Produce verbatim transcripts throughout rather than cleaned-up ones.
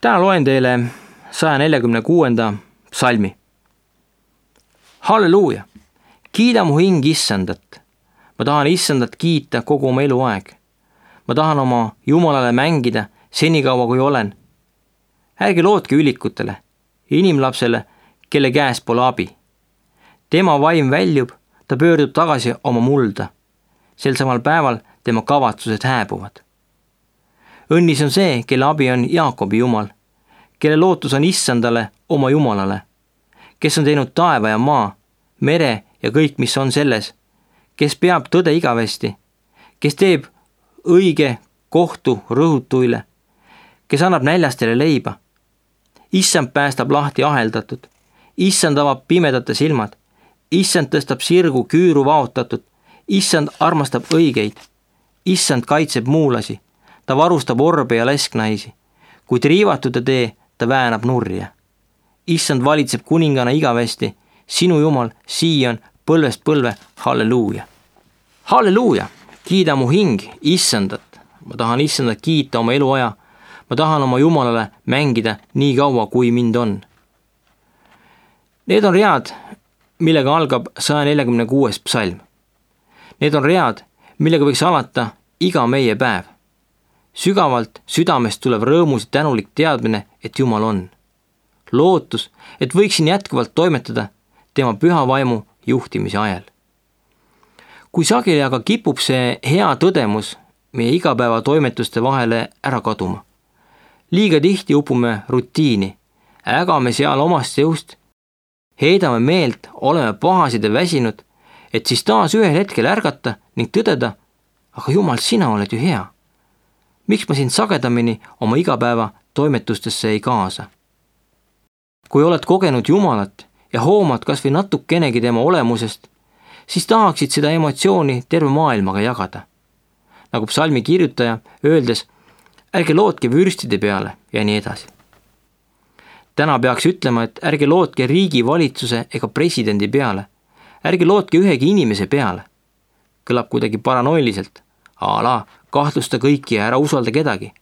Täna loen teile saja neljakümne kuuenda psalmi. Halleluuja! Kiida mu hing Issandat. Ma tahan Issandat kiita kogu oma eluaeg. Ma tahan oma Jumalale mängida senikaua kui olen. Ärge lootke ülikutele, inimlapsele, kelle käes pole abi. Tema vaim väljub, ta pöördub tagasi oma mulda. Sel samal päeval tema kavatsused hääbuvad. Õnnis on see, kelle abi on Jaakobi Jumal, kelle lootus on Issandale oma Jumalale, kes on teinud taeva ja maa, mere ja kõik, mis on selles, kes peab tõde igavesti, kes teeb õige kohtu rõhutuile, kes annab näljastele leiba. Issand päästab lahti aheldatud, Issand avab pimedate silmad, Issand tõstab sirgu küüru vaotatud, Issand armastab õigeid, Issand kaitseb muulasi, ta varustab orbe ja lesknaisi, kuid riivatude tee ta väänab nurja. Issand valitseb kuningana igavesti, sinu Jumal, Siion, põlvest põlve, halleluuja. Halleluuja, kiida mu hing Issandat. Ma tahan Issandat kiita oma eluaja. Ma tahan oma Jumalale mängida nii kaua, kui mind on. Need on read, millega algab saja neljakümne kuues psalm. Need on read, millega võiks alata iga meie päev. Sügavalt südamest tulev rõõmus ja tänulik teadmine, et Jumal on. Lootus, et võiksin jätkuvalt toimetada tema püha vaimu juhtimise ajal. Kui sageli aga kipub see hea tõdemus meie igapäeva toimetuste vahele ära kaduma. Liiga tihti upume rutiini, ägame seal omast jõust, heidame meelt, oleme pahased ja väsinud, et siis taas ühel hetkel ärgata ning tõdeda, aga Jumal, sina oled ju hea. Miks ma sind sagedamini oma igapäeva toimetustesse ei kaasa? Kui oled kogenud Jumalat ja hoomad kas või natukenegi tema olemusest, siis tahaksid seda emotsiooni terve maailmaga jagada. Nagu psalmi kirjutaja öeldes, ärge lootke vürstide peale ja nii edasi. Täna peaks ütlema, et ärge lootke riigi valitsuse ega presidendi peale. Ärge lootke ühegi inimese peale. Kõlab kuidagi paranoiliselt. Ala, kahtlusta kõiki ja ära usalda kedagi.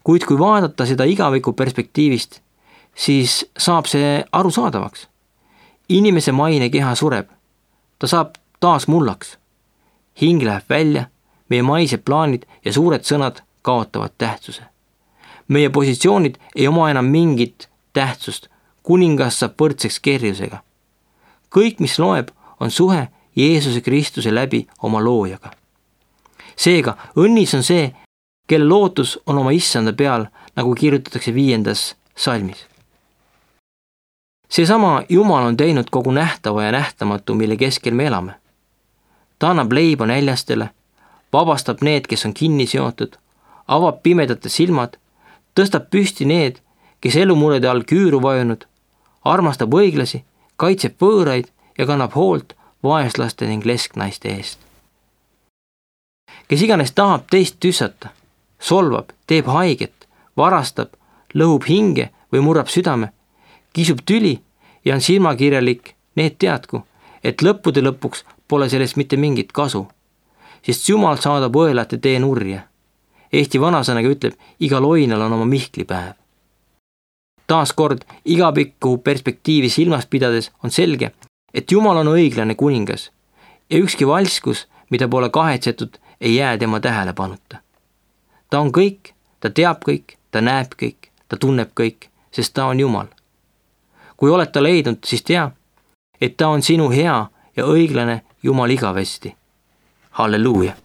Kuid kui vaadata seda igaviku perspektiivist, siis saab see arusaadavaks. Inimese maine keha sureb. Ta saab taas mullaks. Hing läheb välja, meie maised plaanid ja suured sõnad kaotavad tähtsuse. Meie positsioonid ei oma enam mingit tähtsust, kuningas saab võrdseks kerjusega. Kõik, mis loeb, on suhe Jeesuse Kristuse läbi oma loojaga. Seega, õnnis on see, kelle lootus on oma Issanda peal, nagu kirjutatakse viiendas salmis. Seesama Jumal on teinud kogu nähtava ja nähtamatu, mille keskel me elame. Ta annab leiba näljastele, vabastab need, kes on kinni seotud, avab pimedate silmad, tõstab püsti need, kes elumurede all küüru vajunud, armastab õiglasi, kaitseb võõraid ja kannab hoolt vaeslaste ning lesknaiste eest. Kes iganes tahab teist tüssata, solvab, teeb haiget, varastab, lõhub hinge või murrab südame, kisub tüli ja on silmakirjalik, need teadku, et lõppude lõpuks pole sellest mitte mingit kasu, sest Jumal saadab õelate tee nurja. Eesti vanasõnaga ütleb, igal oinal on oma mihklipäev. Taas kord igapikku perspektiivi silmas pidades on selge, et Jumal on õiglane kuningas ja ükski valskus, mida pole kahetsetud, ei jää tema tähelepanuta. Ta on kõik, ta teab kõik, ta näeb kõik, ta tunneb kõik, sest ta on Jumal. Kui oled ta leidnud, siis tea, et ta on sinu hea ja õiglane Jumal igavesti. Halleluuja!